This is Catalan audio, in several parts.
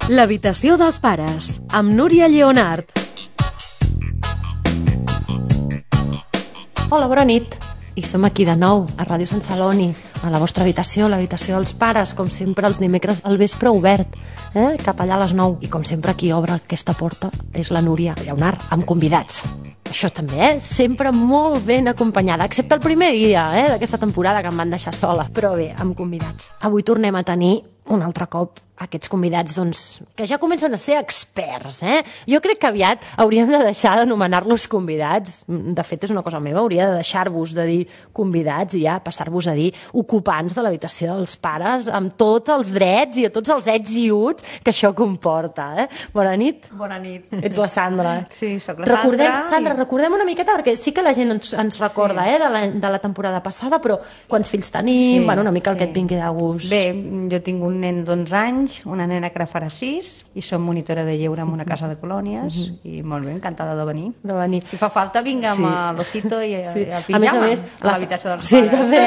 L'habitació dels pares, amb Núria Lleonart. Hola, bona nit. I som aquí de nou, a Ràdio Sant Celoni, a la vostra habitació, l'habitació dels pares, com sempre els dimecres al vespre obert, cap allà a les 9. I com sempre qui obre aquesta porta és la Núria Lleonart, amb convidats. Això també, sempre molt ben acompanyada, excepte el primer dia d'aquesta temporada que em van deixar sola, però bé, amb convidats. Avui tornem a tenir un altre cop aquests convidats que ja comencen a ser experts. Jo crec que aviat hauríem de deixar d'anomenar-los convidats. De fet, és una cosa meva, hauria de deixar-vos de dir convidats i ja passar-vos a dir ocupants de l'habitació dels pares amb tots els drets i a tots els ets i uts que això comporta. Bona nit. Bona nit. Ets la Sandra. Sí, soc la Sandra. Sandra, recordem una miqueta, perquè sí que la gent ens recorda de la temporada passada, però quants fills tenim, una mica el que et vingui de gust. Bé, jo tinc un nen d'11 anys, una nena que ara farà 6, i som monitora de lleure en una casa de colònies, i molt bé, encantada de venir. Si fa falta, vinc amb l'osito i el pijama a l'habitació dels pares. Sí, també.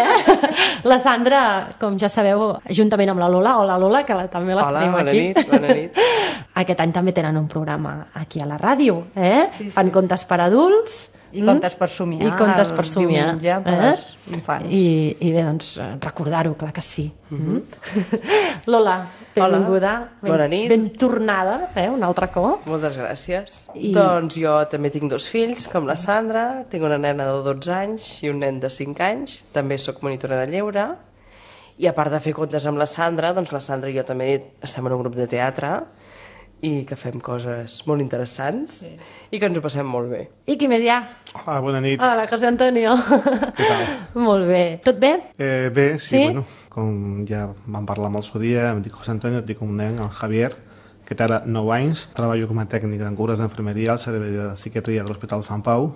La Sandra, com ja sabeu, juntament amb la Lola, hola Lola, que també la tenim aquí. Bona nit. Aquest any també tenen un programa aquí a la ràdio, fan contes per adults, i contes per somiar, el diumenge per als infants. I bé, doncs, recordar-ho, clar que sí. Lola, benvinguda. Bona nit. Ben tornada, un altre cop. Moltes gràcies. Doncs jo també tinc 2 fills, com la Sandra, tinc una nena de 12 anys i un nen de 5 anys, també sóc monitora de lleure, i a part de fer contes amb la Sandra, doncs la Sandra i jo també estem en un grup de teatre, i que fem coses molt interessants i que ens ho passem molt bé. I qui més hi ha? Hola, bona nit. Hola, José Antonio. Què tal? Molt bé. Tot bé? Bé, sí, bueno, com ja vam parlar molt el dia, em dic José Antonio, tinc un nen, el Javier, que té ara 9 anys, treballo com a tècnic en cures d'enfermeria al servei de psiquiatria de l'Hospital Sant Pau,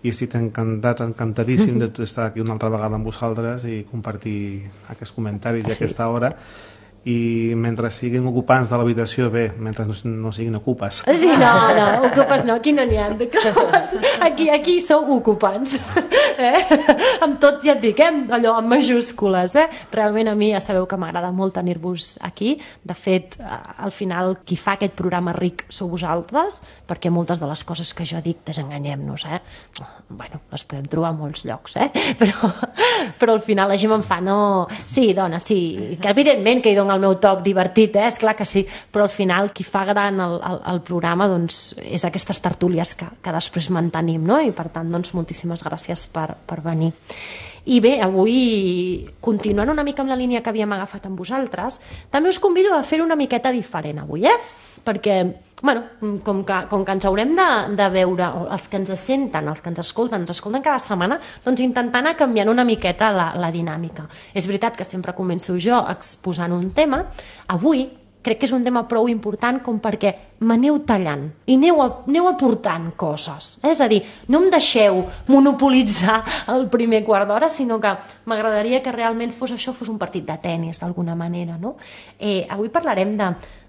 i estic encantadíssim d'estar aquí una altra vegada amb vosaltres i compartir aquests comentaris i aquesta hora. I mentre siguin ocupants de l'habitació, bé, mentre no siguin ocupes. Sí, no, ocupes no, aquí no n'hi ha d'ocupes. Aquí sou ocupants. Amb tot, ja et dic, allò amb majúscules. Realment a mi ja sabeu que m'agrada molt tenir-vos aquí. De fet, al final, qui fa aquest programa ric sou vosaltres, perquè moltes de les coses que jo dic, desenganyem-nos, bueno, les podem trobar a molts llocs, però al final la gent me'n fa, no... Sí, dona, sí, que evidentment que hi dono el meu toc divertit, és clar que sí, però al final qui fa gran el programa doncs és aquestes tertúlies que després mantenim, no? I per tant, doncs, moltíssimes gràcies per venir. I bé, avui, continuant una mica amb la línia que havíem agafat amb vosaltres, també us convido a fer una miqueta diferent avui, perquè, bueno, com que ens haurem de veure, els que ens senten, els que ens escolten cada setmana, doncs intentar anar canviant una miqueta la dinàmica. És veritat que sempre començo jo exposant un tema. Avui crec que és un tema prou important com perquè m'aneu tallant i aneu aportant coses. És a dir, no em deixeu monopolitzar el primer quart d'hora, sinó que m'agradaria que realment fos un partit de tennis, d'alguna manera, no? Avui parlarem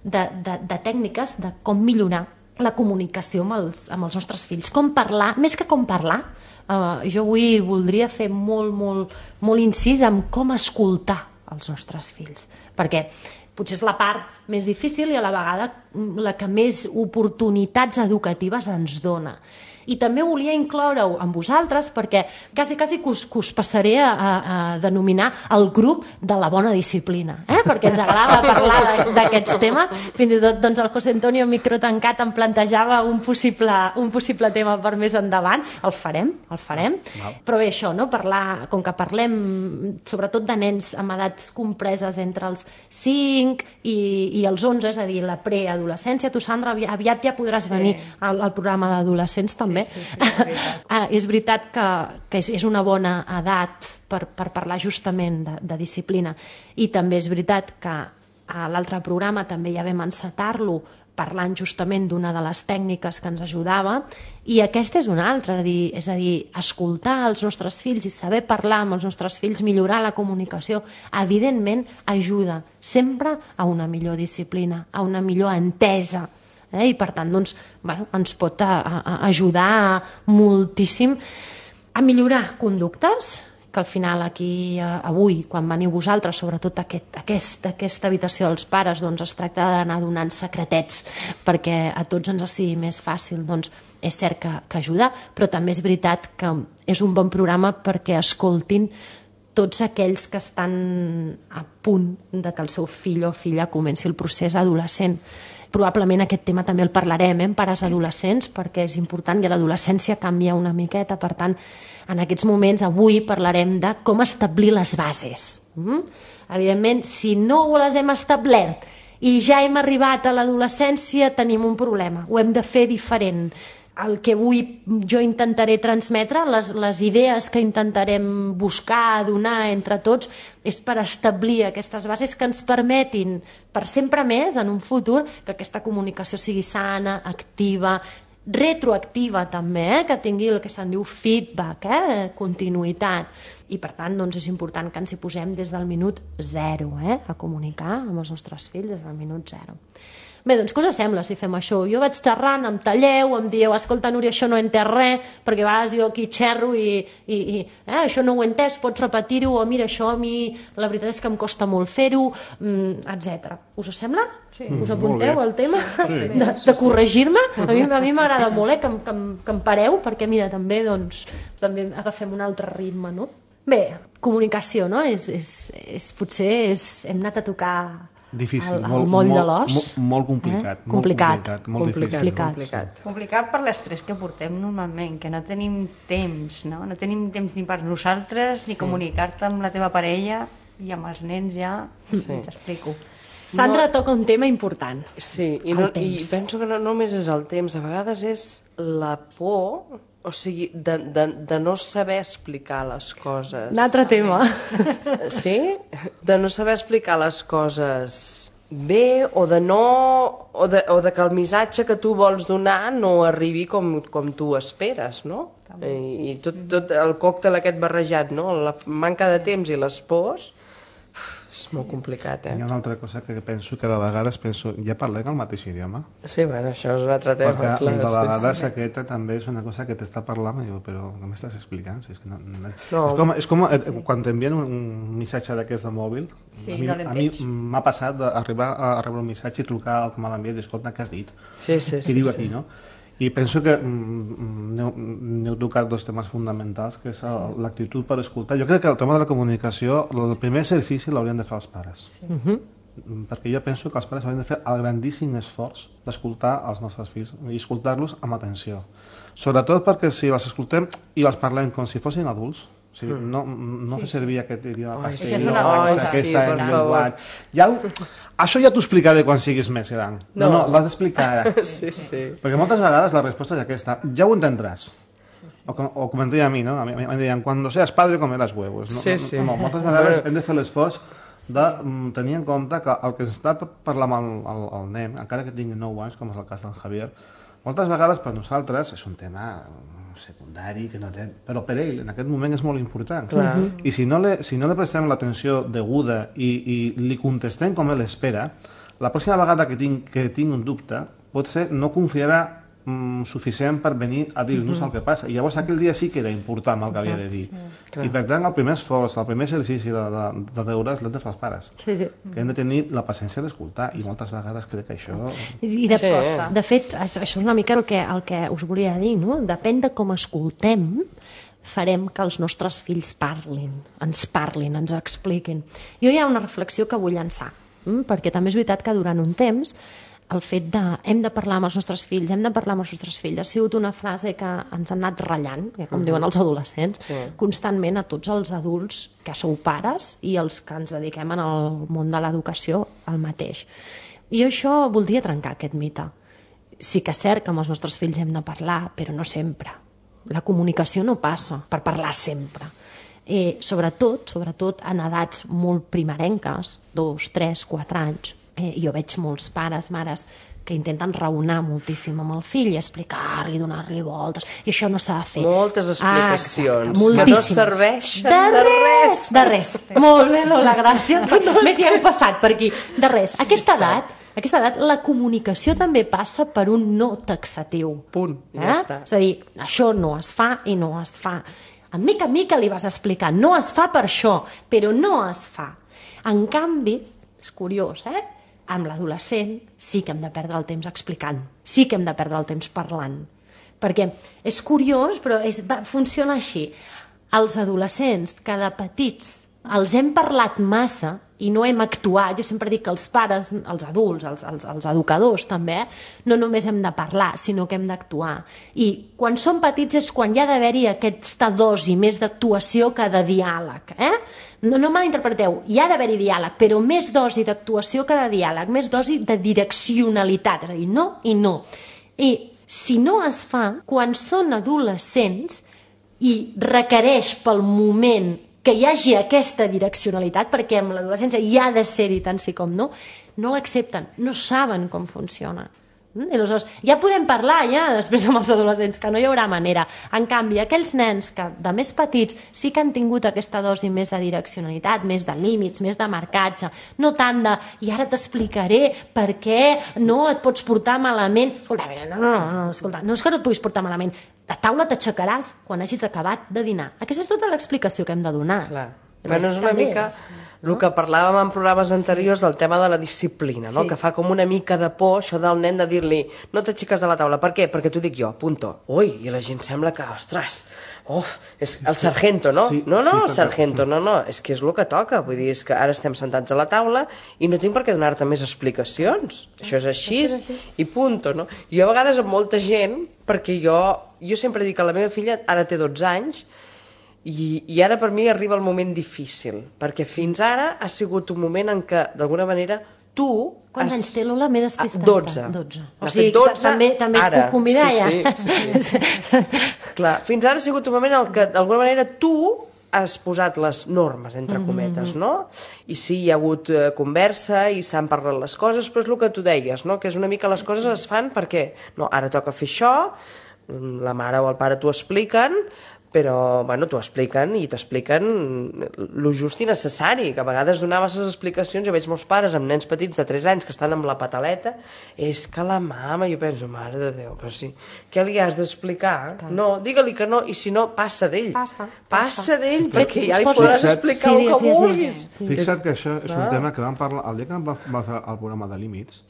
de tècniques de com millorar la comunicació amb els nostres fills. Com parlar, més que com parlar, jo avui voldria fer molt incís en com escoltar els nostres fills, perquè potser és la part més difícil i a la vegada la que més oportunitats educatives ens dona. I també volia incloure-ho amb vosaltres perquè quasi que us passaré a denominar el grup de la bona disciplina, perquè ens agrada parlar d'aquests temes. Fins i tot doncs, el José Antonio microtancat em plantejava un possible tema per més endavant. El farem. Però bé, això, no? Com que parlem sobretot de nens amb edats compreses entre els 5 i els 11, és a dir, la preadolescència. Tu, Sandra, aviat ja podràs venir al programa d'adolescents també. És veritat que és una bona edat per parlar justament de disciplina, i també és veritat que a l'altre programa també ja vam encetar-lo parlant justament d'una de les tècniques que ens ajudava, i aquesta és una altra, és a dir, escoltar els nostres fills i saber parlar amb els nostres fills, millorar la comunicació, evidentment ajuda sempre a una millor disciplina, a una millor entesa, i per tant doncs, ens pot ajudar moltíssim a millorar conductes que al final aquí, avui, quan veniu vosaltres, sobretot aquesta habitació dels pares, doncs es tracta d'anar donant secretets perquè a tots ens sigui més fàcil. Doncs és cert que ajuda, però també és veritat que és un bon programa perquè escoltin tots aquells que estan a punt de que el seu fill o filla comenci el procés adolescent. Probablement aquest tema també el parlarem en pares adolescents, perquè és important i l'adolescència canvia una miqueta. Per tant, en aquests moments avui parlarem de com establir les bases. Evidentment, si no les hem establert i ja hem arribat a l'adolescència, tenim un problema. Ho hem de fer diferent. El que avui jo intentaré transmetre, les idees que intentarem buscar, donar entre tots, és per establir aquestes bases que ens permetin, per sempre més, en un futur, que aquesta comunicació sigui sana, activa, retroactiva també, que tingui el que se'n diu feedback, continuïtat. I per tant, doncs, és important que ens hi posem des del minut 0, a comunicar amb els nostres fills des del minut 0. Bé, doncs què us sembla si fem això? Jo vaig xerrant, em talleu, em dieu, escolta, Núria, això no he entès res, perquè a vegades jo aquí xerro i això no ho he entès, pots repetir-ho, o mira, això a mi la veritat és que em costa molt fer-ho, etc. Us sembla? Sí. Us apunteu al tema de corregir-me? A mi m'agrada molt que em pareu, perquè mira, també agafem un altre ritme, no? Bé, comunicació, no? Potser hem anat a tocar difícil, el moll de l'os. Molt complicat. Complicat per l'estrès que portem normalment, que no tenim temps, no? No tenim temps ni per nosaltres, ni comunicar-te amb la teva parella, i amb els nens ja, t'explico. Sandra toca un tema important. Sí, i penso que no només és el temps, a vegades és la por, o sigui, de no saber explicar les coses. Un altre tema. Sí? De no saber explicar les coses bé, o de que el missatge que tu vols donar no arribi com tu esperes, no? I tot el còctel aquest barrejat, no? La manca de temps i les pors, és molt complicat, Hi ha una altra cosa que penso, que de vegades ja parlem el mateix idioma. Sí, bueno, això és un altre tema. Perquè de vegades aquesta també és una cosa que t'està parlant i diu, però què m'estàs explicant? És com quan t'envien un missatge d'aquest de mòbil, a mi m'ha passat d'arribar a rebre un missatge i trucar al que me l'envia i dir, escolta, què has dit? Què diu aquí, no? I penso que n'heu tocat dos temes fonamentals, que és l'actitud per escoltar. Jo crec que el tema de la comunicació, el primer exercici l'haurien de fer els pares. Perquè jo penso que els pares haurien de fer el grandíssim esforç d'escoltar els nostres fills i escoltar-los amb atenció. Sobretot perquè si els escoltem i els parlem com si fossin adults, o sigui, no fer servir aquest idioma aquesta llenguatge. Això ja t'ho explicaré quan siguis més gran. No, l'has d'explicar ara. Perquè moltes vegades la resposta és aquesta: ja ho entendràs. O com em deia a mi, no? A mi em deien, quan seas padre comeràs huevos. Moltes vegades hem de fer l'esforç de tenir en compte que el que s'està parlant amb el nen, encara que tingui 9 anys, com és el cas del Javier, moltes vegades per nosaltres és un tema secundari, però per ell en aquest moment és molt important. I si no li prestem l'atenció deguda i li contestem com ell espera, la pròxima vegada que tinc un dubte, potser no confiarà suficient per venir a dir-nos el que passa. I llavors aquell dia sí que era important el que havia de dir. I per tant el primer esforç, el primer exercici de deures l'hem de fer els pares. Que hem de tenir la paciència d'escoltar, i moltes vegades crec que això... De fet, això és una mica el que us volia dir, no? Depèn de com escoltem, farem que els nostres fills ens parlin, ens expliquin. Jo hi ha una reflexió que vull llançar, perquè també és veritat que durant un temps el fet de hem de parlar amb els nostres fills, ha sigut una frase que ens ha anat ratllant, com diuen els adolescents, constantment a tots els adults que sou pares i els que ens dediquem al món de l'educació el mateix. I això voldria trencar aquest mite. Sí que és cert que amb els nostres fills hem de parlar, però no sempre. La comunicació no passa per parlar sempre. Sobretot en edats molt primerenques, 2, 3, 4 anys, jo veig molts pares, mares, que intenten raonar moltíssim amb el fill i explicar-li, donar-li voltes, i això no s'ha de fer. Moltes explicacions que no serveixen de res. Molt bé, Lola, gràcies. Més ja hem passat per aquí. De res. A aquesta edat la comunicació també passa per un no taxatiu. Punt, ja està. És a dir, això no es fa i no es fa. En mica li vas explicar, no es fa per això, però no es fa. En canvi, és curiós, amb l'adolescent sí que hem de perdre el temps explicant, sí que hem de perdre el temps parlant, perquè és curiós, però funciona així. Els adolescents, que de petits els hem parlat massa i no hem actuat, jo sempre dic que els pares, els adults, els educadors també, no només hem de parlar, sinó que hem d'actuar. I quan són petits és quan hi ha d'haver-hi aquesta dosi més d'actuació que de diàleg. No malinterpreteu, hi ha d'haver-hi diàleg, però més dosi d'actuació que de diàleg, més dosi de direccionalitat, és a dir, no i no. I si no es fa, quan són adolescents i requereix pel moment que hi hagi aquesta direccionalitat, perquè amb l'adolescència hi ha de ser-hi tant sí com no, no l'accepten, no saben com funciona. I aleshores, ja podem parlar després amb els adolescents, que no hi haurà manera. En canvi, aquells nens que de més petits sí que han tingut aquesta dosi més de direccionalitat, més de límits, més de marcatge, no tant de, i ara t'explicaré per què no et pots portar malament. Escolta, no és que no et puguis portar malament, a taula t'aixecaràs quan hagis acabat de dinar. Aquesta és tota l'explicació que hem de donar. Clar. Bueno, és una mica el que parlàvem en programes anteriors del tema de la disciplina, no? Que fa com una mica de por això del nen de dir-li no t'aixeques de la taula. Per què? Perquè t'ho dic jo, punto. Ui, i la gent sembla que, ostres, és el sargento, no? No, el sargento, no, és que és el que toca. Vull dir, és que ara estem sentats a la taula i no tinc per què donar-te més explicacions. Això és així i punto, no? Jo a vegades amb molta gent, perquè jo sempre dic que la meva filla ara té 12 anys i ara per mi arriba el moment difícil, perquè fins ara ha sigut un moment en què, d'alguna manera, tu... Quants anys té l'Ola? M'he despistat. 12. O sigui, 12, també et puc convidar ja. Sí. Clar, fins ara ha sigut un moment en què, d'alguna manera, tu has posat les normes, entre cometes, no? I sí, hi ha hagut conversa i s'han parlat les coses, però és el que tu deies, no? Que és una mica les coses es fan perquè, no, ara toca fer això, la mare o el pare t'ho expliquen, però, bueno, t'ho expliquen i t'expliquen lo just i necessari, que a vegades donar masses explicacions. Jo veig molts pares amb nens petits de 3 anys que estan amb la pataleta, és que la mama, jo penso, mare de Déu, però sí, què li has d'explicar? No, digue-li que no, i si no, passa d'ell. Passa d'ell, perquè ja li podràs explicar el que vulguis. Fixa't que això és un tema que vam parlar, el dia que vam fer el programa de límits,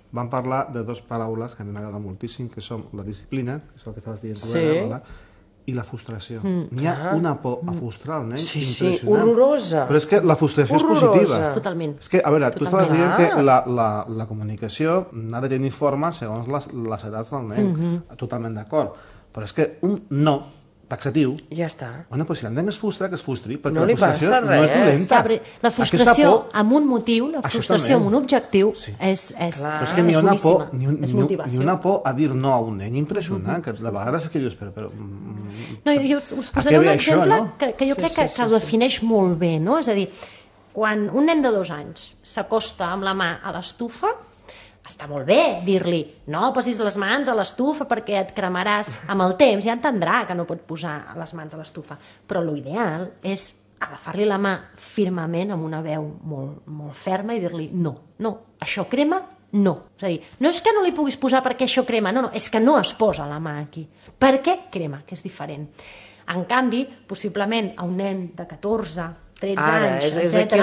vam parlar de 2 paraules que a mi m'agrada moltíssim, que són la disciplina, que és el que estaves dient tu, i la frustració. N'hi ha una por a frustrar el nen impressionant. Horrorosa. Però és que la frustració és positiva. Totalment. És que, a veure, tu estaves dient que la comunicació ha de tenir forma segons les edats del nen. Totalment d'acord. Però és que un no taxatiu... Ja està. Bueno, però si el nen es frustra, que es frustri, perquè no la frustració no és dolenta. La frustració amb un motiu, la frustració amb un objectiu és però és que n'hi ha una por, ni una por a dir no a un nen impressionant, que de vegades és que dius, però... No, jo us posaré un exemple que jo crec que ho defineix molt bé, no? És a dir, quan un nen de 2 anys s'acosta amb la mà a l'estufa, està molt bé dir-li no posis les mans a l'estufa perquè et cremaràs. Amb el temps ja entendrà que no pot posar les mans a l'estufa, però l'ideal és agafar-li la mà firmament amb una veu molt ferma i dir-li no, això crema, no. És a dir, no és que no li puguis posar perquè això crema, no, és que no es posa la mà aquí. Per què crema? Que és diferent. En canvi, possiblement a un nen de 14, 13 anys, etc.,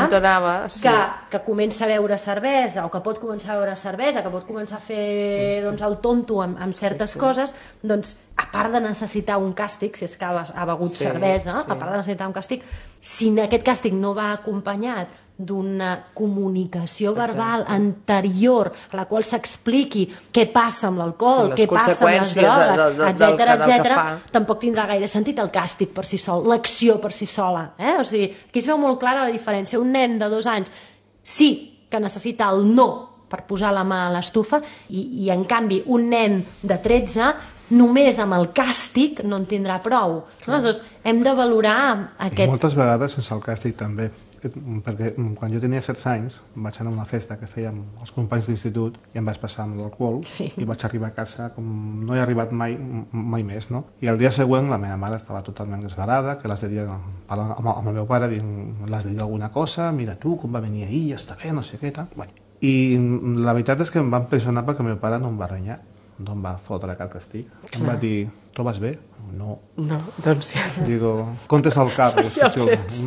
que comença a beure cervesa o que pot començar a beure cervesa, que pot començar a fer el tonto amb certes coses, doncs, a part de necessitar un càstig, si és que ha begut cervesa, a part de necessitar un càstig, si aquest càstig no va acompanyat d'una comunicació verbal anterior a la qual s'expliqui què passa amb l'alcohol, què passa amb les drogues, etc., tampoc tindrà gaire sentit el càstig per si sol, l'acció per si sola. O sigui, aquí es veu molt clara la diferència. Un nen de 2 anys sí que necessita el no per posar la mà a l'estufa i en canvi un nen de 13 només amb el càstig no en tindrà prou. Aleshores, hem de valorar aquest... I moltes vegades sense el càstig també, perquè quan jo tenia 16 anys vaig anar a una festa que fèiem els companys d'institut i em vaig passar amb l'alcohol i vaig arribar a casa com no he arribat mai més, no? I el dia següent la meva mare estava totalment esverada, que l'has de dir amb el meu pare, l'has de dir alguna cosa, mira tu com va venir ahir, ja està bé, no sé què, tal. I la veritat és que em va impressionar perquè el meu pare no em va renyar, no em va fotre cap castig, em va dir trobes bé? No. No, doncs sí. Digo, comptes al cap. Ja ho tens.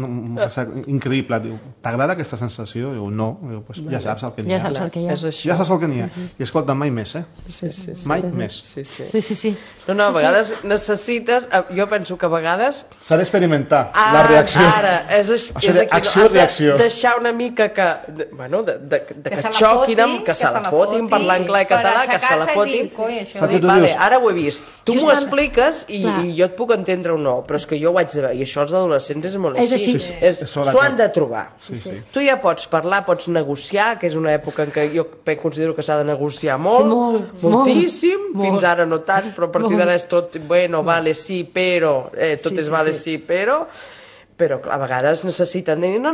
Increïble. Diu, t'agrada aquesta sensació? Diu, no. Diu, pues ja saps el que n'hi ha. Ja saps el que hi ha. Ja saps el que n'hi ha. I escolta, mai més, Sí. Mai més. Sí. No, a vegades necessites... Jo penso que a vegades... S'ha d'experimentar la reacció. Ara, és aquí. Acció-reacció. Has de deixar una mica que... Bueno, que et xoquin, que se la fotin, parlar anglès i català, que se la fotin. Vale, ara ho he vist. Tu m'ho expliques i jo et puc entendre o no, però és que jo ho haig de veure. I això els adolescents és molt així. S'ho han de trobar. Tu ja pots parlar, pots negociar, que és una època en què jo considero que s'ha de negociar moltíssim, fins ara no tant, però a partir d'ara és tot, bueno, vale, sí, però, tot és vale, sí, però a vegades necessiten dir, no,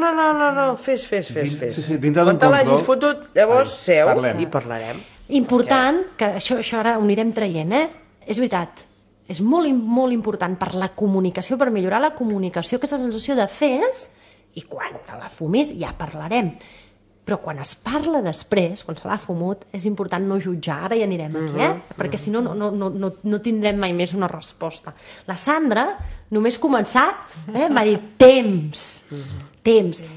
fes. Quan te l'hagis fotut, llavors seu i parlarem. Important, que això ara ho anirem traient, és veritat, és molt important per la comunicació, per millorar la comunicació, aquesta sensació de fes, i quan te la fumis ja parlarem. Però quan es parla després, quan se l'ha fumut, és important no jutjar, ara ja anirem aquí, perquè si no, no tindrem mai més una resposta. La Sandra, només començar, m'ha dit temps.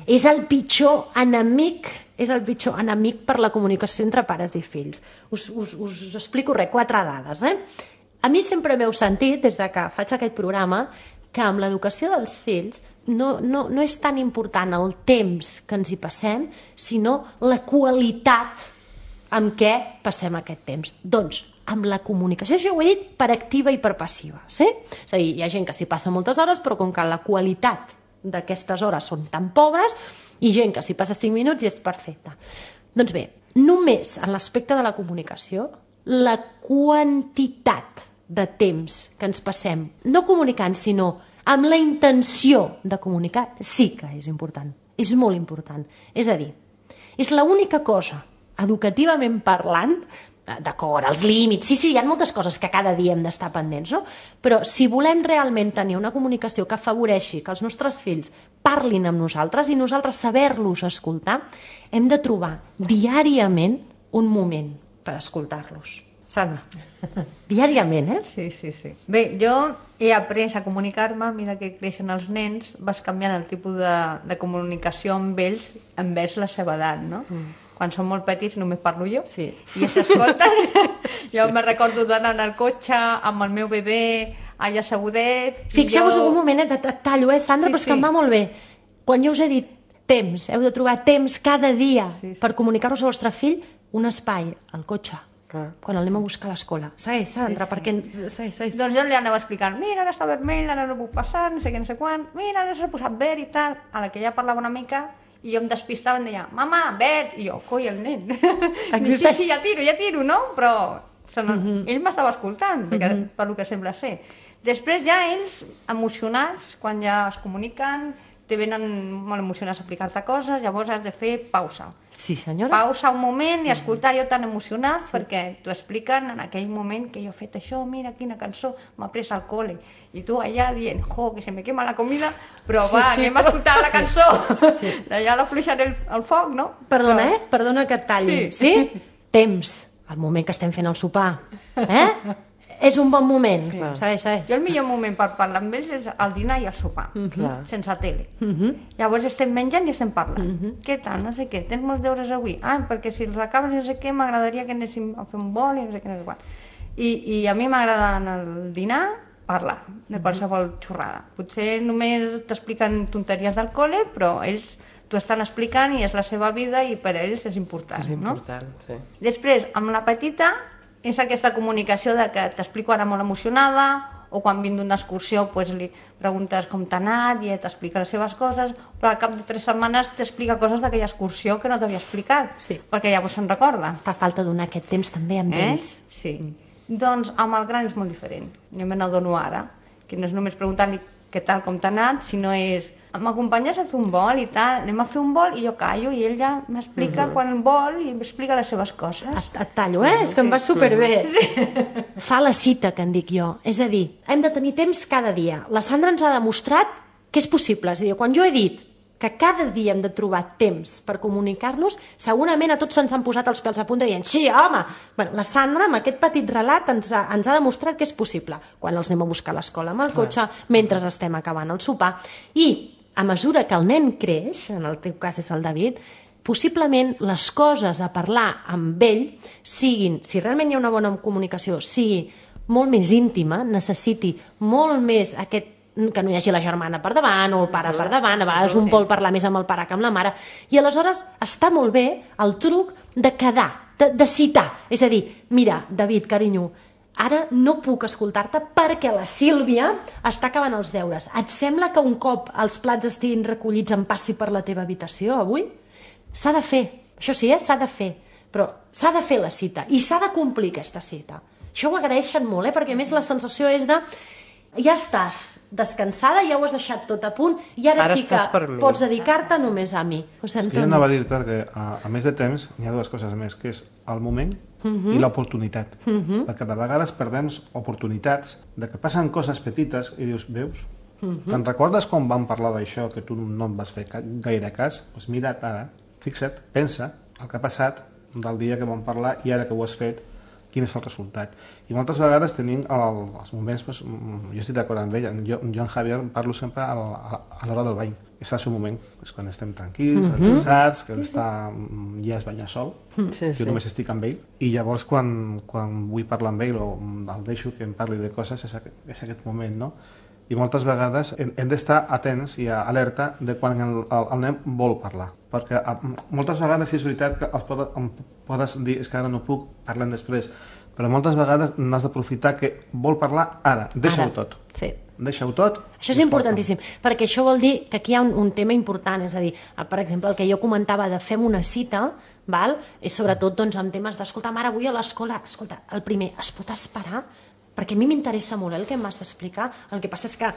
És el pitjor enemic per la comunicació entre pares i fills. Us explico 4 dades, A mi sempre m'heu sentit, des de que faig aquest programa, que amb l'educació dels fills no és tan important el temps que ens hi passem, sinó la qualitat amb què passem aquest temps. Doncs, amb la comunicació, això ho he dit per activa i per passiva, sí? És a dir, hi ha gent que s'hi passa moltes hores, però com que la qualitat d'aquestes hores són tan pobres, i gent que s'hi passa 5 minuts i és perfecta. Doncs bé, només en l'aspecte de la comunicació, la quantitat de temps que ens passem, no comunicant, sinó amb la intenció de comunicar, sí que és important, és molt important. És a dir, és l'única cosa, educativament parlant, d'acord, els límits, sí, hi ha moltes coses que cada dia hem d'estar pendents, no? Però si volem realment tenir una comunicació que afavoreixi que els nostres fills parlin amb nosaltres i nosaltres saber-los escoltar, hem de trobar diàriament un moment per escoltar-los. Sandra, diàriament, Sí. Bé, jo he après a comunicar-me, a mesura que creixen els nens, vas canviant el tipus de comunicació amb ells envers la seva edat, no? Quan són molt petits només parlo jo i ells s'escolten. Jo me recordo d'anar al cotxe amb el meu bebè allà assegudet. Fixeu-vos un moment, et tallo, Sandra, però és que em va molt bé. Quan jo us he dit temps, heu de trobar temps cada dia per comunicar-vos al vostre fill, un espai al cotxe, quan el anem a buscar a l'escola. Segueix, Sandra, perquè... Segueix. Doncs jo li anava explicant, mira, ara està vermell, ara no puc passar, no sé què, no sé quan, mira, ara s'ha posat verd i tal. A la que ja parlava una mica, i jo em despistava i em deia, mama, verd, i jo, coi, el nen. Sí, ja tiro, no? Però ell m'estava escoltant, pel que sembla ser. Després ja ells, emocionats, quan ja es comuniquen, te venen molt emocionats a explicar-te coses, llavors has de fer pausa. Sí, senyora. Pausa un moment i escoltar jo tan emocionat perquè t'ho expliquen en aquell moment que jo he fet això, mira quina cançó m'ha pres al col·le. I tu allà dient, que se me quema la comida, però anem a escoltar la cançó. Allà l'afluixaré el foc, no? Perdona, Perdona que et talli. Sí? Temps. El moment que estem fent el sopar. És un bon moment. Segueix. Jo el millor moment per parlar amb ells és el dinar i el sopar, sense tele. Llavors estem menjant i estem parlant. Què tal? No sé què. Tens molts deures avui? Perquè si els acabes no sé què, m'agradaria que anéssim a fer un vol i no sé què, no sé quan. I a mi m'agrada en el dinar parlar de qualsevol xorrada. Potser només t'expliquen tonteries del col·le, però ells t'ho estan explicant i és la seva vida i per a ells és important. És important, sí. Després, amb la petita, és aquesta comunicació de que t'explico ara molt emocionada, o quan vinc d'una excursió li preguntes com t'ha anat i t'explica les seves coses, però al cap de 3 setmanes t'explica coses d'aquella excursió que no t'havia explicat, perquè llavors se'n recorda. Fa falta donar aquest temps també amb ells. Sí. Doncs amb el gran és molt diferent. Jo me n'adono ara, que no és només preguntar-li què tal, com t'ha anat, sinó és m'acompanyes a fer un vol i tal, anem a fer un vol i jo callo i ell ja m'explica quan vol i m'explica les seves coses. Et tallo, és que em va superbé. Fa la cita, que en dic jo. És a dir, hem de tenir temps cada dia. La Sandra ens ha demostrat que és possible. És a dir, quan jo he dit que cada dia hem de trobar temps per comunicar-nos, segurament a tots se'ns han posat els pèls a punta dient sí, home! Bueno, la Sandra, amb aquest petit relat, ens ha demostrat que és possible, quan els anem a buscar a l'escola amb el cotxe, mentre estem acabant el sopar. I a mesura que el nen creix, en el teu cas és el David, possiblement les coses a parlar amb ell siguin, si realment hi ha una bona comunicació, sigui molt més íntima, necessiti molt més aquest que no hi hagi la germana per davant o el pare per davant, a vegades un vol parlar més amb el pare que amb la mare, i aleshores està molt bé el truc de quedar, de citar, és a dir, mira, David, carinyo, ara no puc escoltar-te perquè la Sílvia està acabant els deures. Et sembla que un cop els plats estiguin recollits em passi per la teva habitació avui? S'ha de fer, això sí, s'ha de fer, però s'ha de fer la cita i s'ha de complir aquesta cita. Això ho agraeixen molt, perquè a més la sensació és de ja estàs descansada, ja ho has deixat tot a punt i ara sí que pots dedicar-te només a mi. Jo anava a dir-te que a més de temps hi ha dues coses més, que és el moment i l'oportunitat. Perquè de vegades perdem oportunitats de que passen coses petites i dius, veus? Te'n recordes quan vam parlar d'això que tu no em vas fer gaire cas? Doncs mira't ara, fixa't, pensa el que ha passat del dia que vam parlar i ara que ho has fet, quin és el resultat. I moltes vegades tenim els moments, jo estic d'acord amb ell, jo en Javier parlo sempre a l'hora del bany. És el seu moment, és quan estem tranquils, relaxats, que ell ja es banya sol, jo només estic amb ell, i llavors quan vull parlar amb ell o el deixo que em parli de coses, és aquest moment, no? I moltes vegades hem d'estar atents i alerta de quan el nen vol parlar. Perquè moltes vegades és veritat que em podes dir és que ara no puc, parlem després, però moltes vegades n'has d'aprofitar que vol parlar ara, deixa-ho tot. Sí. Deixa-ho tot. Això és importantíssim, perquè això vol dir que aquí hi ha un tema important, és a dir, per exemple, el que jo comentava de fem una cita, és sobretot en temes d'escolta, mare, avui a l'escola, escolta, el primer, es pot esperar? Perquè a mi m'interessa molt el que m'has d'explicar, el que passa és que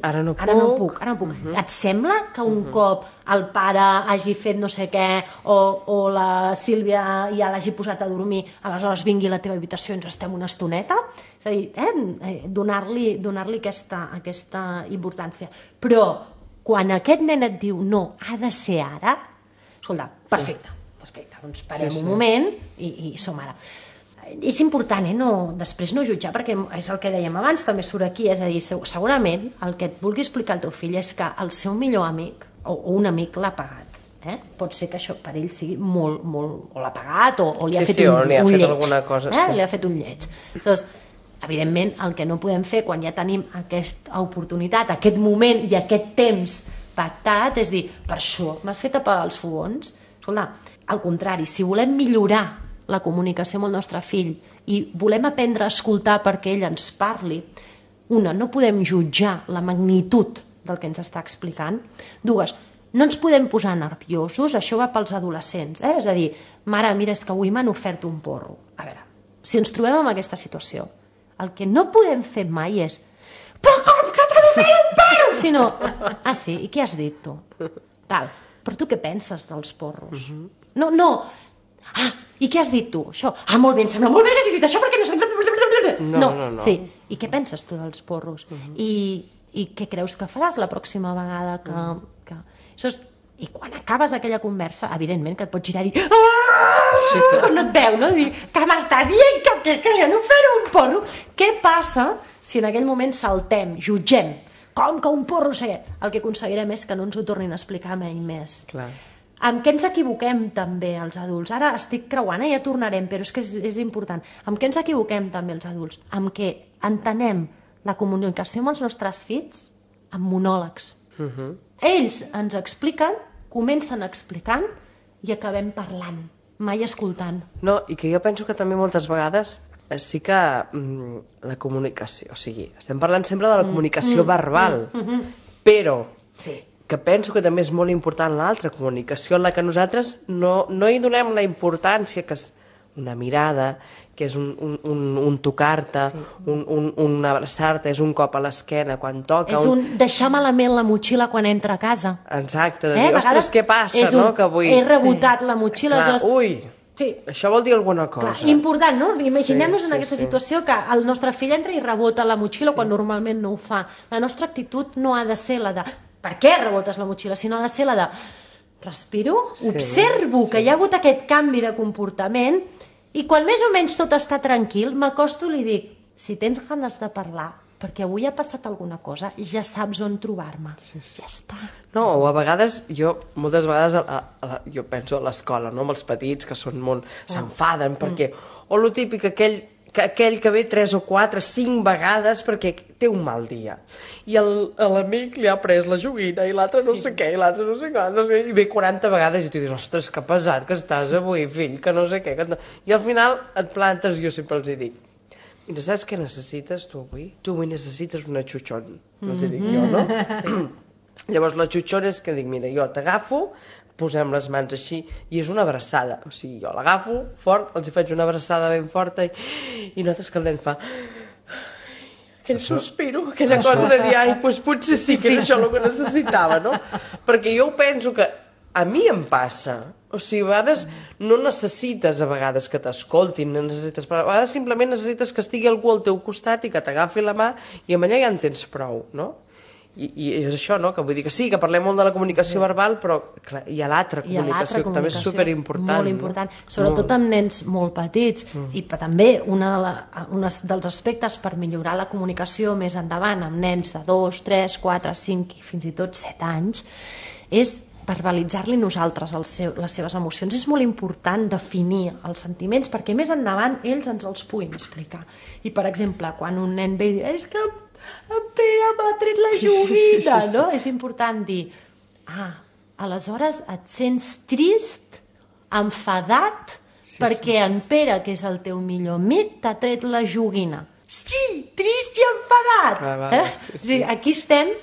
ara no puc. Et sembla que un cop el pare hagi fet no sé què o la Sílvia ja l'hagi posat a dormir, aleshores vingui a la teva habitació i ens estem una estoneta? És a dir, donar-li aquesta importància. Però quan aquest nen et diu no, ha de ser ara, escolta, perfecte, doncs parem un moment i som ara. És important, després no jutjar, perquè és el que dèiem abans, també surt aquí, és a dir, segurament el que et vulgui explicar el teu fill és que el seu millor amic o un amic l'ha pagat. Pot ser que això per ell sigui molt, molt... o l'ha pagat o li ha fet un lleig. Alguna cosa, li ha fet un lleig. Aleshores, evidentment, el que no podem fer quan ja tenim aquesta oportunitat, aquest moment i aquest temps pactat, és dir, per això m'has fet apagar els fogons? Escolta, al contrari, si volem millorar la comunicació amb el nostre fill i volem aprendre a escoltar perquè ell ens parli, no podem jutjar la magnitud del que ens està explicant. Dues, no ens podem posar nerviosos, això va pels adolescents, és a dir, mare, mira, és que avui m'han ofert un porro. A veure, si ens trobem en aquesta situació, el que no podem fer mai és però com que t'ha de fer un porro? Sinó, sí, i què has dit tu? Tal, però tu què penses dels porros? No, i què has dit tu? Això. Molt bé, em sembla molt bé que hagis dit això perquè no... No. Sí. I què penses tu dels porros? I què creus que faràs la pròxima vegada que... I quan acabes aquella conversa, evidentment que et pots girar i dir no et veu, no? Dir que m'està dient que ja no faré un porro. Què passa si en aquell moment saltem, jutgem, com que un porro sé? El que aconseguirem és que no ens ho tornin a explicar mai més. Clar. Amb què ens equivoquem també els adults? Ara estic creuant, ja tornarem, però és que és important. Amb què ens equivoquem també els adults? Amb què entenem la comunicació amb els nostres fills amb monòlegs. Ells ens expliquen, comencen explicant i acabem parlant, mai escoltant. No, i que jo penso que també moltes vegades sí que la comunicació, o sigui, estem parlant sempre de la comunicació verbal, però... Sí. Que penso que també és molt important l'altra comunicació en la que nosaltres no hi donem la importància que és una mirada, que és un tocar-te, un abraçar-te, és un cop a l'esquena quan toca... És un deixar malament la motxilla quan entra a casa. Exacte, de dir, ostres, què passa, no? Que avui... He rebotat la motxilla... Ui, això vol dir alguna cosa. Important, no? Imaginem-nos en aquesta situació que el nostre fill entra i rebota la motxilla quan normalment no ho fa. La nostra actitud no ha de ser la de... per què rebotes la motxilla? Si no ha de ser la de respiro, observo que hi ha hagut aquest canvi de comportament i quan més o menys tot està tranquil, m'acosto i li dic, si tens ganes de parlar, perquè avui ha passat alguna cosa, ja saps on trobar-me. Ja està. No, o a vegades, moltes vegades, jo penso a l'escola, no?, amb els petits, que són molt... s'enfaden, perquè... O lo típic, aquell que ve 3 o 4, 5 vegades perquè té un mal dia. I l'amic li ha pres la joguina i l'altre no sé què, i l'altre no sé què, i ve 40 vegades i tu dius, ostres, que pesat que estàs avui, fill, que no sé què. I al final et plantes, jo sempre els dic, mira, saps què necessites tu avui? Tu avui necessites una xuchón, els dic jo, no? Llavors la xuchón és que dic, mira, jo t'agafo, posem les mans així, i és una abraçada. O sigui, jo l'agafo fort, els faig una abraçada ben forta, i notes que el nen fa... aquell sospiro, aquella cosa de dir, ai, doncs potser sí que era això el que necessitava, no? Perquè jo penso que a mi em passa. O sigui, a vegades no necessites a vegades que t'escoltin, no necessites, però a vegades simplement necessites que estigui algú al teu costat i que t'agafi la mà i amb allà ja en tens prou, no? I és això, no? Que vull dir que sí, que parlem molt de la comunicació verbal, però clar, hi ha l'altra comunicació, que també és superimportant. Molt important, sobretot amb nens molt petits. I també un dels aspectes per millorar la comunicació més endavant amb nens de 2, 3, 4, 5 i fins i tot 7 anys és verbalitzar-li nosaltres les seves emocions. És molt important definir els sentiments perquè més endavant ells ens els puguin explicar. I, per exemple, quan un nen ve i diu és que en Pere m'ha tret la joguina, no? És important dir, aleshores et sents trist, enfadat, perquè en Pere, que és el teu millor amic, t'ha tret la joguina. Sí, trist i enfadat! Sí. Aquí estem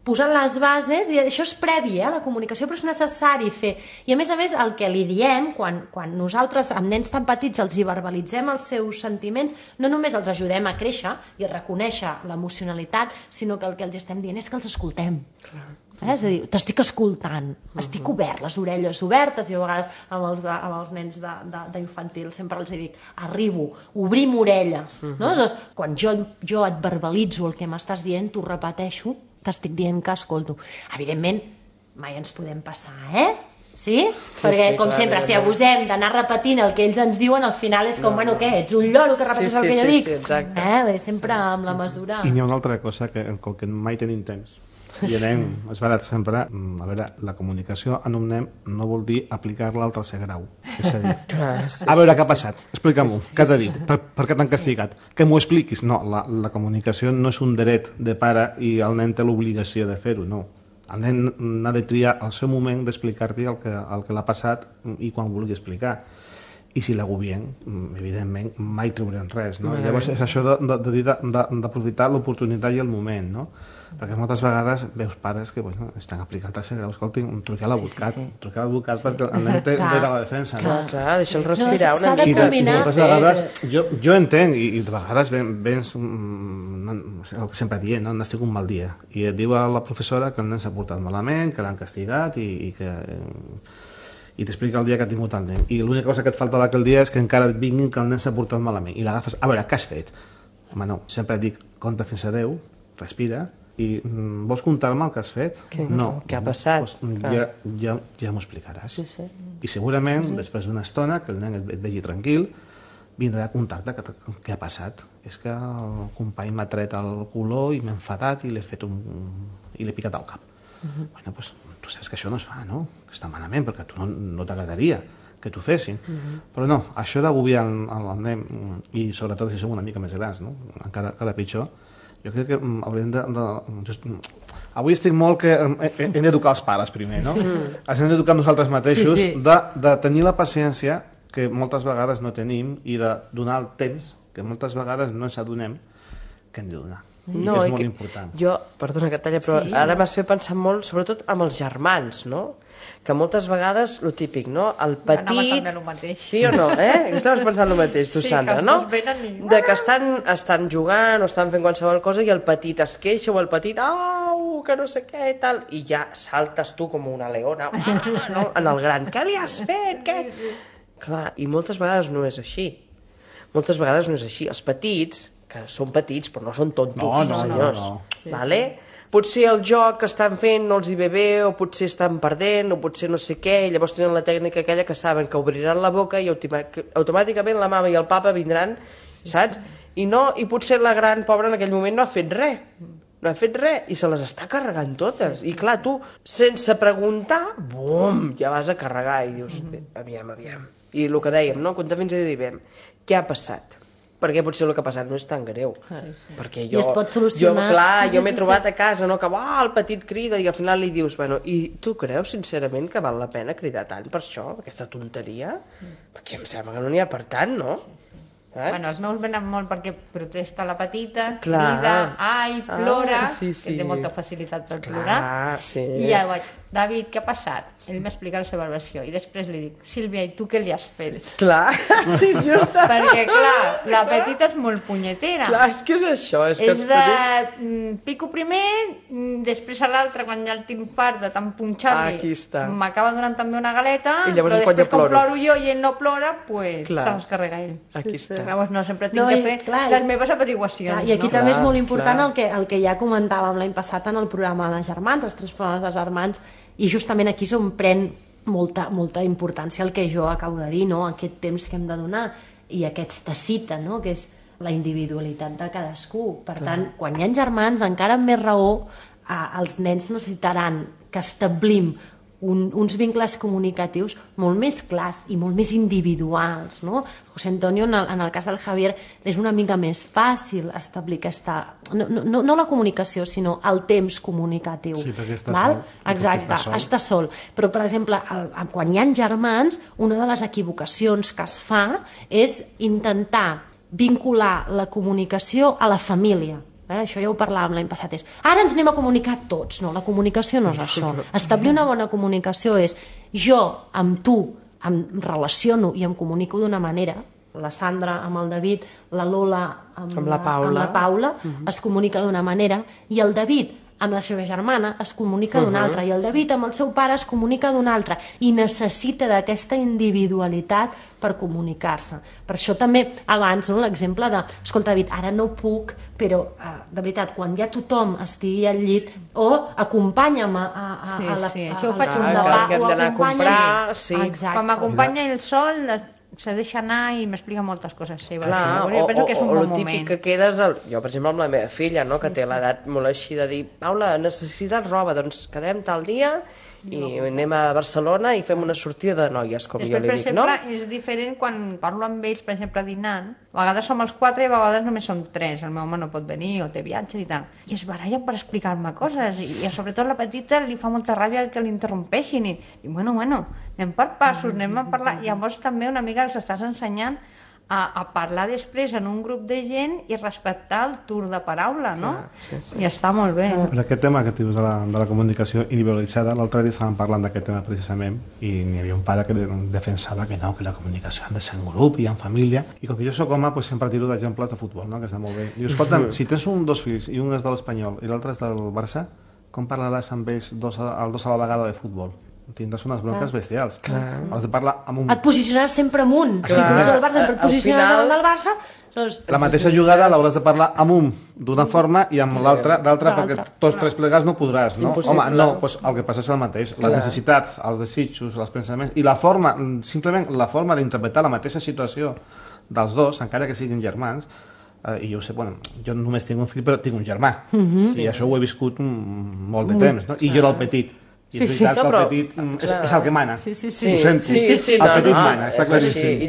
posant les bases, i això és previ, la comunicació, però és necessari fer. I a més, el que li diem, quan nosaltres, amb nens tan petits, els hi verbalitzem els seus sentiments, no només els ajudem a créixer i a reconèixer l'emocionalitat, sinó que el que els estem dient és que els escoltem. És a dir, t'estic escoltant, estic obert, les orelles obertes, i a vegades amb els nens d'infantil sempre els dic, arribo, obrim orelles. Quan jo et verbalitzo el que m'estàs dient, t'ho repeteixo, t'estic dient que escolto. Evidentment, mai ens podem passar, Sí? Perquè, com sempre, si abusem d'anar repetint el que ells ens diuen, al final és com, bueno, què, ets un lloro que repeteix el que jo dic? Sí, exacte. Sempre amb la mesura. I n'hi ha una altra cosa, que com que mai tenim temps, i anem, és veritat, sempre, a veure, la comunicació en un nen no vol dir aplicar-la al tercer grau. És a dir, a veure, què ha passat? Explica'm-ho, què t'ha dit? Per què t'han castigat? Que m'ho expliquis? No, la comunicació no és un dret de pare i el nen té l'obligació de fer-ho, no. El nen ha de triar el seu moment d'explicar-te el que l'ha passat i quan vulgui explicar. I si l'agobien, evidentment, mai trobarem res, no? Llavors és això d'aprofitar l'oportunitat i el moment, no? Perquè moltes vegades veus pares que estan aplicant el tercer grau, escolti, truqueu a l'advocat, perquè el nen té dret a la defensa. Clar, deixa'l respirar una mica. S'ha de combinar. Moltes vegades, jo entenc, i de vegades vens el que sempre dient, n'estic un mal dia, i et diu a la professora que el nen s'ha portat malament, que l'han castigat i t'explica el dia que ha tingut el nen. I l'única cosa que et faltava aquell dia és que encara et vinguin que el nen s'ha portat malament. I l'agafes, a veure, què has fet? Home, no, sempre dic, compta fins a 10, respira, i vols contar-me el que has fet? No. Què ha passat? Ja m'ho explicaràs. I segurament, després d'una estona, que el nen et vegi tranquil, vindrà a contar-te què ha passat. És que el company m'ha tret el color i m'ha enfadat i l'he picat al cap. Bueno, doncs tu saps que això no es fa, no? Que està malament, perquè a tu no t'agradaria que t'ho fessin. Però no, això d'agobiar el nen, i sobretot si som una mica més grans, no? Encara pitjor, jo crec que hauríem avui estic molt que hem d'educar els pares primer, no? Els hem d'educar nosaltres mateixos, de tenir la paciència que moltes vegades no tenim i de donar el temps que moltes vegades no ens adonem que hem de donar. No, és molt important. Perdona que et talla, però ara m'has fet pensar molt, sobretot amb els germans, no? Que moltes vegades, lo típic, no? El petit... Anava també el mateix. Sí o no, Estaves pensant el mateix, tu, Sandra, no? De que estan jugant o estan fent qualsevol cosa i el petit es queixa o el petit, au, que no sé què i tal, i ja saltes tu com una leona, no? En el gran, què li has fet? Què? Clar, i moltes vegades no és així. Moltes vegades no és així. Els petits, que són petits però no són tontos, senyors. Vale? potser el joc que estan fent no els hi ve bé, o potser estan perdent, o potser no sé què, i llavors tenen la tècnica aquella que saben que obriran la boca i automàticament la mama i el papa vindran, saps? I potser la gran pobra en aquell moment no ha fet res, i se les està carregant totes. I clar, tu, sense preguntar, bum, ja vas a carregar i dius, aviam. I el que dèiem, no? Compte fins a dir, què ha passat? Perquè potser el que ha passat no és tan greu. Perquè I es pot solucionar. Jo m'he trobat a casa, no? Que el petit crida i al final li dius, i tu creus sincerament que val la pena cridar tant per això, per aquesta tonteria? Perquè em sembla que no n'hi ha per tant, no? Bueno, els meus venen molt perquè protesta la petita, crida, plora, que té molta facilitat per plorar, i ja vaig, David, què ha passat? Ell m'explica la seva versió, i després li dic, Sílvia, i tu què li has fet? Clar, sí, just. Perquè, clar, la petita és molt punyetera. Clar, és que és això. És de pico primer, després a l'altre, quan ja el tinc fart de tant punxar-li, m'acaba donant també una galeta, però després com ploro jo i ell no plora, pues se les carrega ell. Aquí està. Llavors no, sempre tinc de fer les meves averiguacions. I aquí també és molt important el que ja comentàvem l'any passat en el programa de germans, els 3 programes de germans, i justament aquí s'on pren molta importància el que jo acabo de dir, no? Aquest temps que hem de donar i aquesta cita, no? Que és la individualitat de cadascú. Per tant, quan hi ha germans, encara amb més raó, els nens necessitaran que establim uns vincles comunicatius molt més clars i molt més individuals, no? José Antonio, en el cas del Javier, és una mica més fàcil establir aquesta... No la comunicació, sinó el temps comunicatiu. Sí, perquè està sol. Exacte, està sol. Però, per exemple, quan hi ha germans, una de les equivocacions que es fa és intentar vincular la comunicació a la família. Això ja ho parlàvem l'any passat, és ara ens anem a comunicar tots. No, la comunicació no és això. Establir una bona comunicació és jo amb tu em relaciono i em comunico d'una manera, la Sandra amb el David, la Lola amb la Paula es comunica d'una manera, i el David amb la seva germana es comunica d'una altra, i el David amb el seu pare es comunica d'una altra, i necessita d'aquesta individualitat per comunicar-se. Per això també abans l'exemple de, escolta David, ara no puc, però de veritat, quan ja tothom estigui al llit, o acompanya'm a la... Sí, això ho faig que hem d'anar a comprar, quan m'acompanya el sol se deixa anar i m'explica moltes coses seves. Clar, jo penso que és un bon moment. O el típic que quedes... Jo, per exemple, amb la meva filla, no?, que té l'edat molt així de dir, Paula, necessites roba, doncs quedem tal dia i anem a Barcelona i fem una sortida de noies, com jo li dic, no? Per exemple, és diferent quan parlo amb ells, per exemple, dinant. A vegades som els 4 i a vegades només som 3. El meu home no pot venir o té viatges i tal. I es barallen per explicar-me coses. I sobretot la petita li fa molta ràbia que l'interrompeixin. I bueno, anem per passos, anem a parlar. Llavors també una mica els estàs ensenyant a parlar després en un grup de gent i respectar el torn de paraula, no? I està molt bé. Per aquest tema que dius de la comunicació individualitzada, l'altre dia estàvem parlant d'aquest tema precisament i n'hi havia un pare que defensava que no, que la comunicació ha de ser en grup i en família, i com que jo soc home, doncs sempre tiro d'exemples de futbol, no?, que està molt bé. Diu, escolta'm, si tens 2 fills i un és de l'Espanyol i l'altre és del Barça, com parlaràs amb ells els dos a la vegada de futbol? Tindràs unes bronques bestials. Has de parlar amb un... Et posicionaràs sempre amunt. Si tu ets el Barça, sempre et posiciones davant del Barça... La mateixa jugada l'hauràs de parlar amb un d'una forma i amb l'altra d'altra, perquè tots 3 plegats no podràs, no? Home, no, doncs el que passa és el mateix. Les necessitats, els desitjos, els pensaments i la forma, simplement la forma d'interpretar la mateixa situació dels dos, encara que siguin germans, i jo ho sé, bueno, jo només tinc un fill però tinc un germà, i això ho he viscut molt de temps, no? I jo era el petit. I és veritat que el petit és el que mana. Ho sento. El petit mana, està claríssim.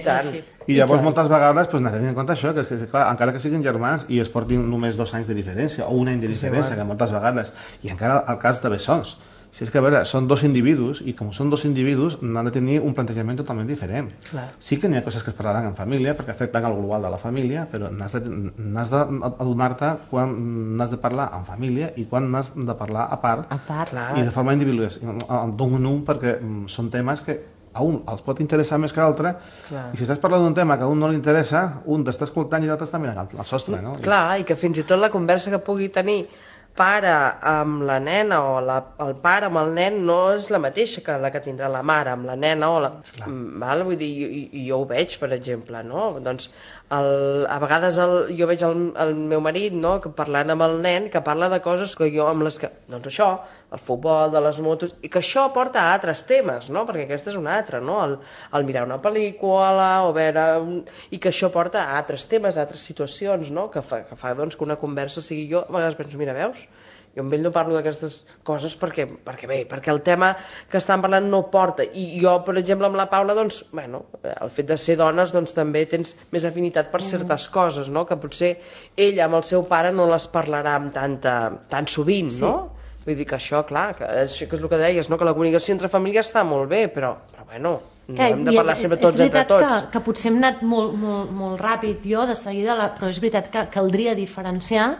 I llavors moltes vegades n'has de tenir en compte això, que encara que siguin germans i es portin només 2 anys de diferència o 1 any de diferència, que moltes vegades, i encara el cas de bessons. Si és que, a veure, són 2 individus i com són 2 individus han de tenir un plantejament totalment diferent. Sí que n'hi ha coses que es parlaran en família perquè afecten el global de la família, però n'has d'adonar-te quan n'has de parlar en família i quan n'has de parlar a part i de forma individual, d'un en un, perquè són temes que a un els pot interessar més que a l'altre, i si estàs parlant d'un tema que a un no li interessa, un t'està escoltant i l'altre està mirant al sostre, no? Clar, i que fins i tot la conversa que pugui tenir pare amb la nena o el pare amb el nen no és la mateixa que la que tindrà la mare amb la nena o val? Vull dir, jo ho veig, per exemple, no? Doncs a vegades jo veig el meu marit, no?, que parlant amb el nen, que parla de coses que jo amb les que... Doncs això, el futbol, de les motos, i que això porta a altres temes, no?, perquè aquest és un altre, no?, el mirar una pel·lícula o veure... I que això porta a altres temes, a altres situacions, no?, que fa doncs, que una conversa sigui... Jo a vegades penso, mira, veus? Jo amb ell no parlo d'aquestes coses perquè el tema que estan parlant no porta. I jo, per exemple, amb la Paula, doncs, bueno, el fet de ser dones, doncs també tens més afinitat per certes coses, no?, que potser ella amb el seu pare no les parlarà amb tan sovint, no? Vull dir que això, clar, que és el que deies, no?, que la comunicació entre famílies està molt bé, però bueno, no hem de parlar sempre tots entre tots. És veritat que potser hem anat molt ràpid jo de seguida, però és veritat que caldria diferenciar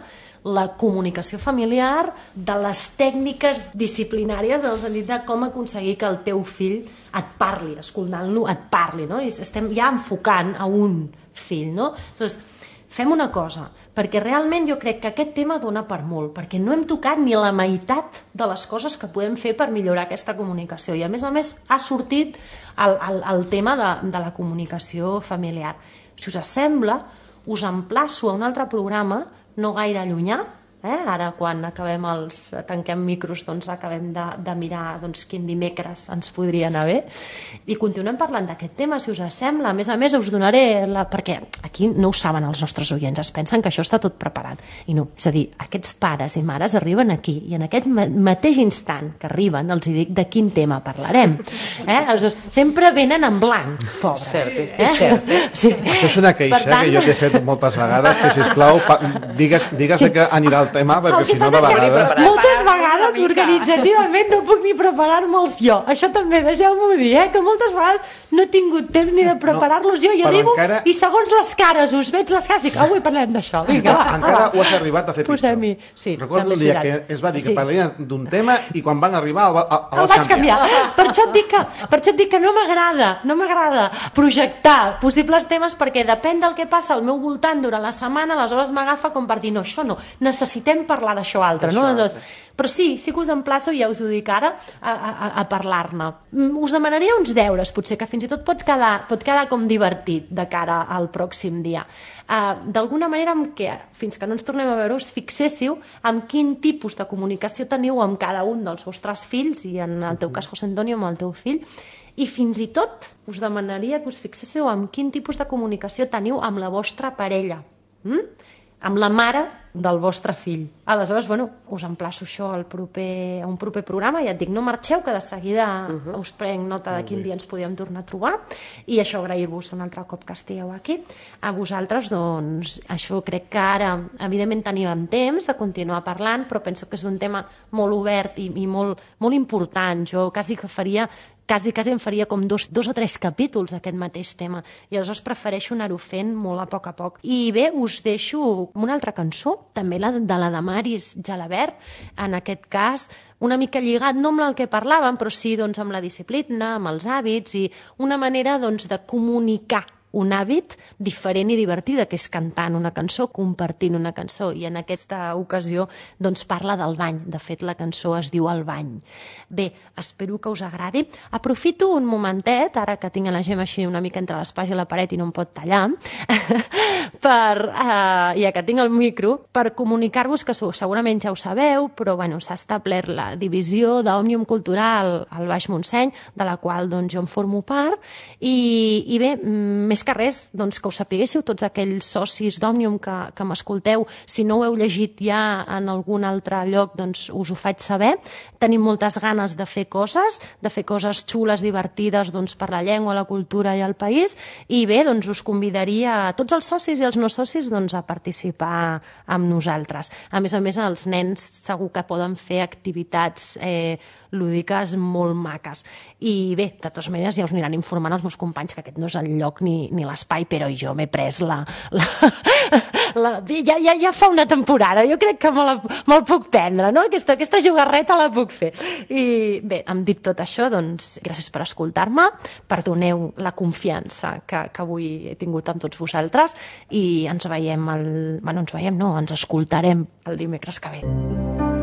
la comunicació familiar de les tècniques disciplinàries en el sentit de com aconseguir que el teu fill et parli, escoltant-lo et parli, no? I estem ja enfocant a un fill, no? Llavors, fem una cosa, perquè realment jo crec que aquest tema dona per molt, perquè no hem tocat ni la meitat de les coses que podem fer per millorar aquesta comunicació, i a més ha sortit el tema de la comunicació familiar. Si us sembla, us emplaço a un altre programa no gaire llunyà, ara quan tanquem micros doncs acabem de mirar quin dimecres ens podria anar bé, i continuem parlant d'aquest tema, si us sembla. A més us donaré, perquè aquí no ho saben els nostres oients, es pensen que això està tot preparat, i no, és a dir, aquests pares i mares arriben aquí, i en aquest mateix instant que arriben els dic de quin tema parlarem, sempre venen en blanc, pobres. És cert. Això és una queixa que jo t'he fet moltes vegades, que sisplau digues de què anirà el tema, perquè si no de vegades... Moltes vegades organitzativament no puc ni preparar-me'ls jo. Això també, deixeu-m'ho dir, que moltes vegades no he tingut temps ni de preparar-los jo. Jo arribo i segons les cares, us veig les cares, dic, avui parlem d'això. Encara ho has arribat a fer pitjor. Recordo el dia que es va dir que parlaria d'un tema i quan van arribar el vaig canviar. Per això et dic que no m'agrada projectar possibles temes, perquè depèn del que passa al meu voltant durant la setmana, aleshores m'agafa com per dir, no, això no, necessitem parlar d'això altre, no? Però sí que us emplaço, ja us ho dic ara, a parlar-ne. Us demanaria uns deures, potser que fins i tot pot quedar com divertit de cara al pròxim dia. D'alguna manera, fins que no ens tornem a veure, us fixéssiu en quin tipus de comunicació teniu amb cada un dels vostres fills, i en el teu cas, José Antonio, amb el teu fill, i fins i tot us demanaria que us fixéssiu en quin tipus de comunicació teniu amb la vostra parella, amb la mare del vostre fill. Aleshores, us emplaço això a un proper programa, ja et dic, no marxeu, que de seguida us prenc nota de quin dia ens podíem tornar a trobar, i això, agrair-vos un altre cop que estigueu aquí. A vosaltres, doncs, això crec que ara, evidentment, teníem temps de continuar parlant, però penso que és un tema molt obert i molt important. Jo quasi em faria com dos o tres capítols d'aquest mateix tema, i aleshores prefereixo anar-ho fent molt a poc. I bé, us deixo una altra cançó, també de la de Maris Jalabert, en aquest cas una mica lligat, no amb el que parlàvem, però sí amb la disciplina, amb els hàbits, i una manera de comunicar un hàbit diferent i divertida, que és cantant una cançó, compartint una cançó, i en aquesta ocasió parla del bany. De fet, la cançó es diu El bany. Bé, espero que us agradi. Aprofito un momentet, ara que tinc la Gemma així una mica entre l'espasa i la paret i no em pot tallar, ja que tinc el micro, per comunicar-vos que segurament ja ho sabeu, però s'ha establert la divisió d'Òmnium Cultural al Baix Montseny, de la qual jo en formo part, i bé, més que res, que ho sapiguéssiu tots aquells socis d'Òmnium que m'escolteu. Si no ho heu llegit ja en algun altre lloc, us ho faig saber. Tenim moltes ganes de fer coses xules, divertides per la llengua, la cultura i el país, i bé, us convidaria a tots els socis i els no socis a participar amb nosaltres. A més, els nens segur que poden fer activitats lúdiques molt maques. I bé, de totes maneres ja us aniran informant els meus companys que aquest no és el lloc ni l'espai, però jo m'he pres ja fa una temporada, jo crec que me'l puc prendre, no? Aquesta jugarreta la puc fer. I bé, hem dit tot això, gràcies per escoltar-me, perdoneu la confiança que avui he tingut amb tots vosaltres, i ens escoltarem el dimecres que ve.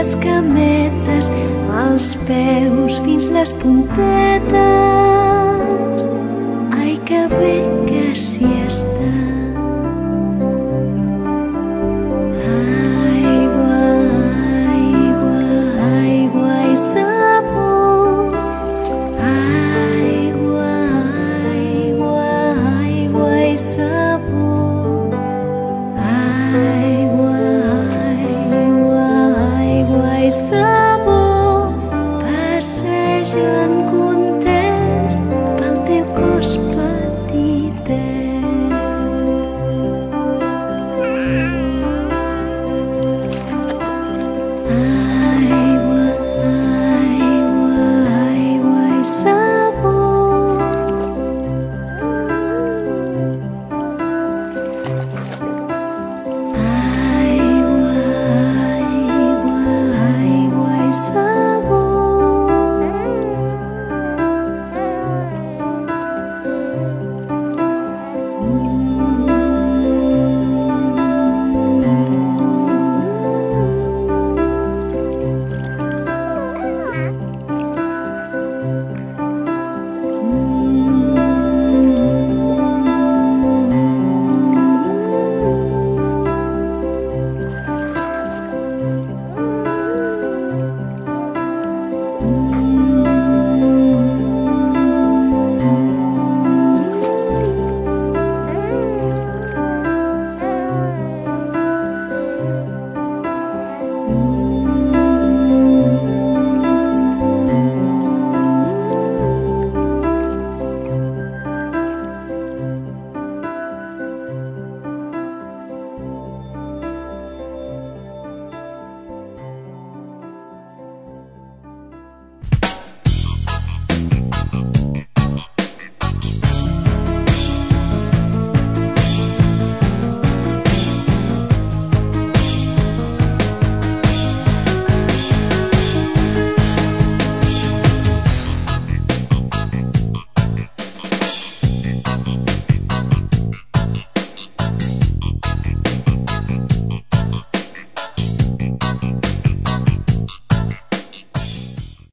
les cametes, als peus fins les puntetes. Ai, que bé que s'hi està.